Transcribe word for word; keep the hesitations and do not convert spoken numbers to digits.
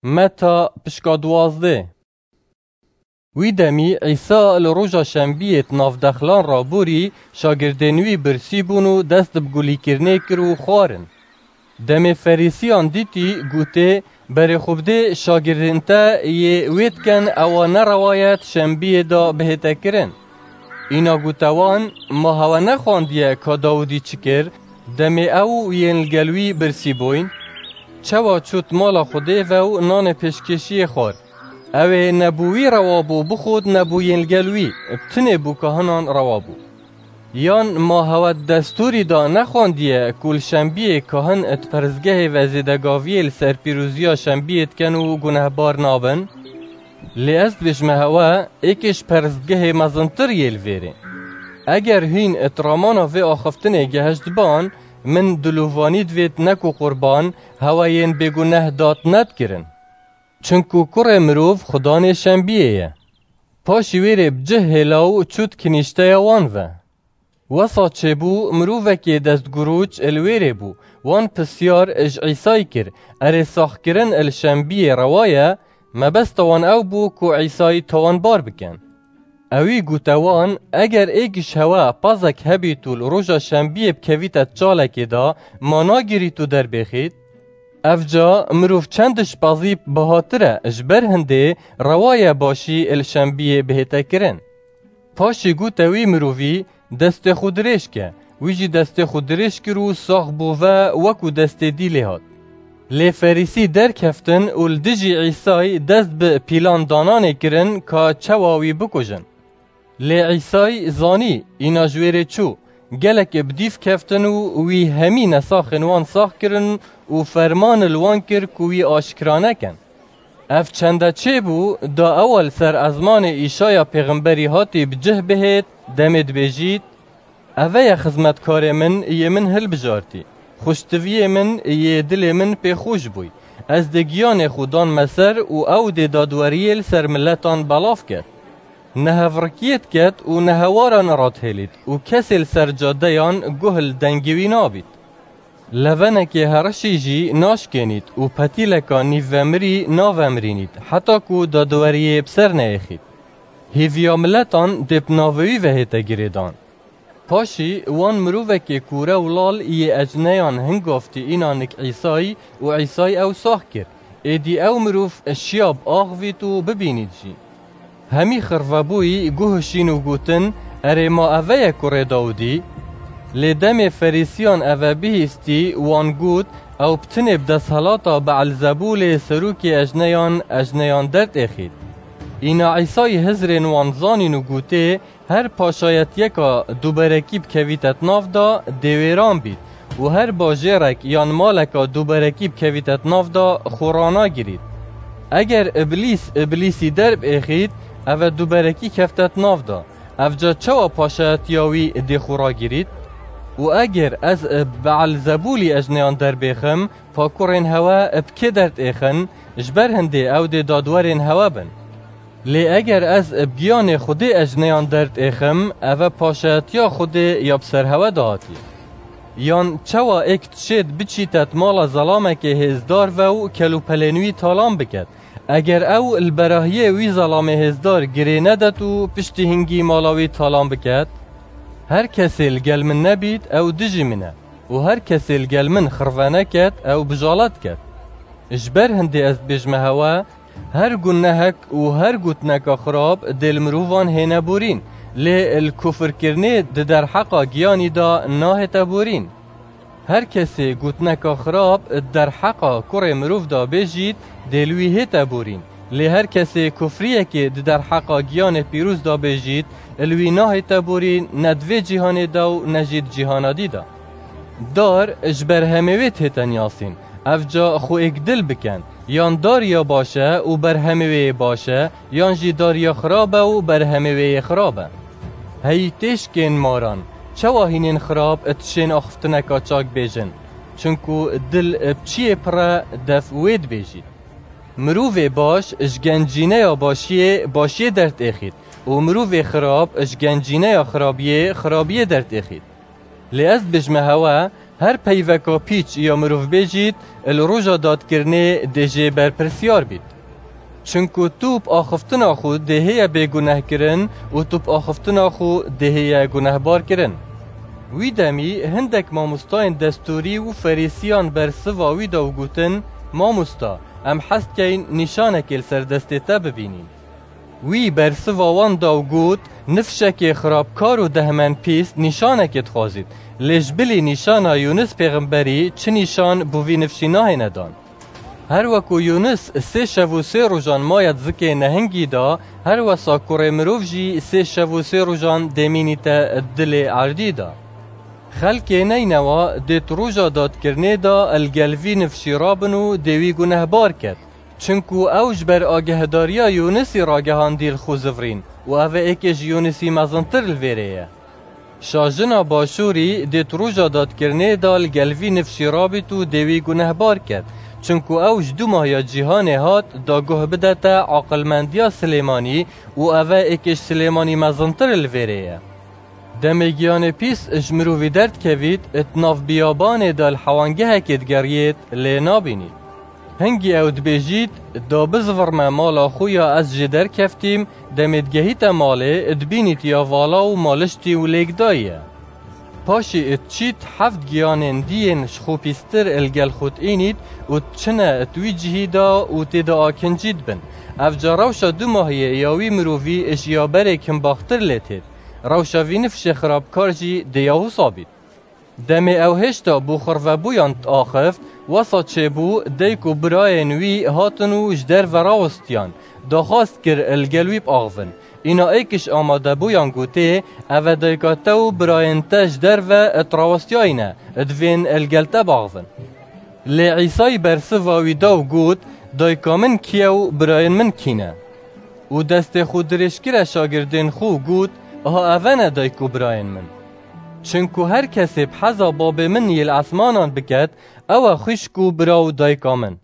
Meta pişka duwazdeh. Wî demî Îsa li roja şembiyê di nav dexlan re borî, şagirdên wî birsî bûn û dest bi gulîkirinê kir û xwarin. Demê Ferîsiyan dîtî, gotê, "Berê xwe bidê şagirdên te yê wê dikin, ewa ne rewa ye di şembiyê de bihête kirin." Îna gote wan, "Ma hewe nexwandiye ka Dawidî çi kir, demê ew û yên li gel wî birsî bûyn? Çawa çût mala Xwedê ve û nanê pêşkêşiyê xwar? Ew ê ne bo wî rewa bû bixwit ne bo yên li gel wî, bi tinê bo kahinan rewa bû. Yan ma hewe di destûrî de nexwandiye ku li şembiyê kahin di peristgehê ve zêdegaviyê li ser pîroziya şembiyê dikin û gunehbar nabin? Lê ez dibêjime hewe, êkê ji peristgehê mezintir yê li vêrê. Eger hîn di ramana vê axiftinê gehiştban, min dilovanî divêt ne ku qurban, hewe yên bêguneh dat nedikirin. Çinku kurê mirov xudanê şembiyê ye." Paşî wê rê bi cih hêla û çût kinîşteya wan ve. Wesa çêbû, mirovekê destguroç li wê rê bû. Wan pisyar ji Îsayî kir, "Erê saxkirin li şembiyê rewa ye?" Mebesta wan ew bû ku Îsayî tawanbar bikin. Ewî gote wan, "Eger êk ji hewe pazek hebît û li roja şembiyê bikevîte çalekê de, ma nagirît û derbêxît? Evca mirov çend ji pazî bihatir e, ji ber hindê rewa ye başî li şembiyê bihête kirin." Paşî gote wî mirovî, "Destê xwe dirêj ke." Wî jî destê xwe dirêj kir û sax bû ve wekû destê dî lê hat. Lê Ferîsî derkeftin û li dijî Îsayî dest bi pîlan dananê kirin ka çawa wî bikujin. Lê Îsayî zanî, îna ji wê rê çû. Gelek bi dîv keftin û wî hemî nesaxên wan sax kirin û ferman li wan kir ku wî aşkira nekin. Ev çende çêbû, da ewa li ser ezmanê Îşaya pêxemberî hatî bi cih bihêt, demê dibêjît, "Eve ye xizmetkarê min, yê min hilbijartî. Xweştiviyê min, yê dilê min pê xweş bûy. Ez dê giyanê xwe danme ser û ew dê dadweriyê li ser miletan belav ket. Nehevrikiyê diket û nehewaran radihêlît û kesê li ser cadeyan guh li dengê wî nabît. Levenekê herişî jî naşkênît û petîleka nîvvemirî navemirînît, heta ku dadweriyê bi ser neyêxît. Hêviya miletan dê bi navê wî ve hête girêdan." Paşî wan mirovekê kûre û lal yê ecneyan hingaftî îna nik Îsayî û Îsayî ew sax kir. Êdî ew mirov şiya biaxivît û bibînît jî. Hemî xirvebûyî guh hişîn û gotin, "Erê ma eve ye kurê Dawidî?" Lê demê Ferîsiyan eve bihîstî, wan got, "Ew bi tinê bi desthilata Beelzebûlê serokê ejneyan, ejneyan derdêxît." Îna Îsayî hizrên wan zanîn û gotê, "Her paşayetiyeka duberekî bikevîte di nav de, dê wêran bît û her bajêrek yan maleka duberekî bikevîte di nav de, xwe ranagirît. Eger Îblîs Îblîsî derbiêxît, eve duberekî kefte di nav de. Evca çawa paşayetiya wî dê xwe ragirît? Û eger ez bi Beelzebûlî ejneyan derbêxim, pa kurên hewe bi kê derdêxin? Ji ber hindê ew dê dadwerên hewe bin. Lê eger ez bi giyanê Xwedê ejneyan derdêxim, eve paşayetiya Xwedê ya bi ser hewe de hatiye. Yan çawa êk dişêt biçîte di mala zelamekê hêzdar ve û kelûpelên wî talan biket? Eger ew li berahiyê wî zelamê hêzdar girê nedet û piştî hingî mala wî talan biket? Her kesê li gel min nebît, ew dijî min e û her kesê li gel min xirve neket, ew bijala diket. Ji ber hindê ez dibêjime hewe, her gunehek û her gotineka xirab dê li mirovan hêne borîn, lê li kufirkirinê di derheqa giyanî de nahête borîn. Her kesê gotineka xirab di derheqa kurê mirov de bêjît, dê li wî hête borîn. Lê her kesê kufriyekê di derheqa giyanê pîroz de bêjît, li wî nahête borîn, ne di vê cîhanê de û ne jî di cîhana dî de. Dar ji berhemê wê dihête niyasîn. Evca xwe êkdil bikin. Yan dar ya baş e û berhemê wê yê baş e, yan jî dar ya xirab e û berhemê wê yê xirab e. Hey têşkên maran, çawa hînên xirab dişên axiftineka çak bêjin? Çinku dil bi çiyê pir e, dev wê dibêjît. Mirovê baş ji gencîneya başiyê başiyê derdêxît û mirovê xirab ji gencîneya xirabiyê xirabiyê derdêxît. Lê ez dibêjime hewe, Her peyveka pîç ya mirovbêjît li roja dadkirinê dê jê berpirsyar bît. Çinku tu bi axiftina xwe dê hêye bêgunehkirin û tu bi axiftina xwe dê hêye gunehbarkirin. Wî demî hindek mamostayên destûrî û ferîsiyan bersiva wî da û gotin, Mamosta, em hez dikeyn nîşanekê li ser destê te bibînîn. Wî bersiva wan da û got, Nifşekê xirabkar û dehmenpîs nîşanekê dixwazît, lê ji bilî nîşana Yûnis pêxemberî çi nîşan bo vî nifşî nahêne dan. Her weku Yûnis sê şev û sê rojan maye di zikê nehingî de, her wesa kurê mirov jî sê şev û sê rojan dê mînîte di dilê erdî de. Xelkê Neynewa dê di roja dadkirinê de li gel vî nifşî rabin û dê wî gunehbar ket. Çinku ew ji ber agehdariya Yûnisî ragehandî li xwe zivirîn û ev e êkê ji Yûnisî mezintir li vêrê ye. Şajina Başûrî dê di roja dadkirinê de li gel vî nifşî rabît û dê wî gunehbar ket. Çinku ew ji dû mahiya cîhanê hat, da guh bidete aqilmendiya Silêmanî û ev e êkê ji Silêmanî mezintir li vêrê ye. Demê giyanê pîs ji mirovî derdikevît, di nav biyabanê de li hewangehekê digeriyêt, lê nabînît. Hingî ew dibêjît, Da bizivirme mala xwe ya ez jê derkeftîm, demê digehîte malê, dibînît ya vala û maliştî û lêkdayî ye. Paşê diçît heft giyanên dî yên ji xwe pîstir li gel xwe diînît û diçine di wî cihî de û tê de akincî dibin. Ev ca rewşa dumahiyê ya wî mirovî ji ya berê kimbaxtir lê têt. Rewşa vî nifşê xirabkar jî dê ya wisa bît. Demê ew hêşta bo xirvebûyan diaxift, wesa çêbû, dayik û birayên wî hatin û ji derve rawistiyan, daxwaz kir li gel wî biaxivin. Îna êkiş amadebûyan gotê, Ev e dayika te û birayên te ji derve dirawestiyayî ne, divên li gel te biaxivin. Lê Îsayî bersiva wî da û got, Dayika min kî ye û birayên min kî ne? Û destê xwe dirêj kire şagirdên xwe û got, Aha ev e ne dayik û birayên min. Çinku her kesê bi heza babê min yê li esmanan biket, ew e xwişk û bira û dayika min.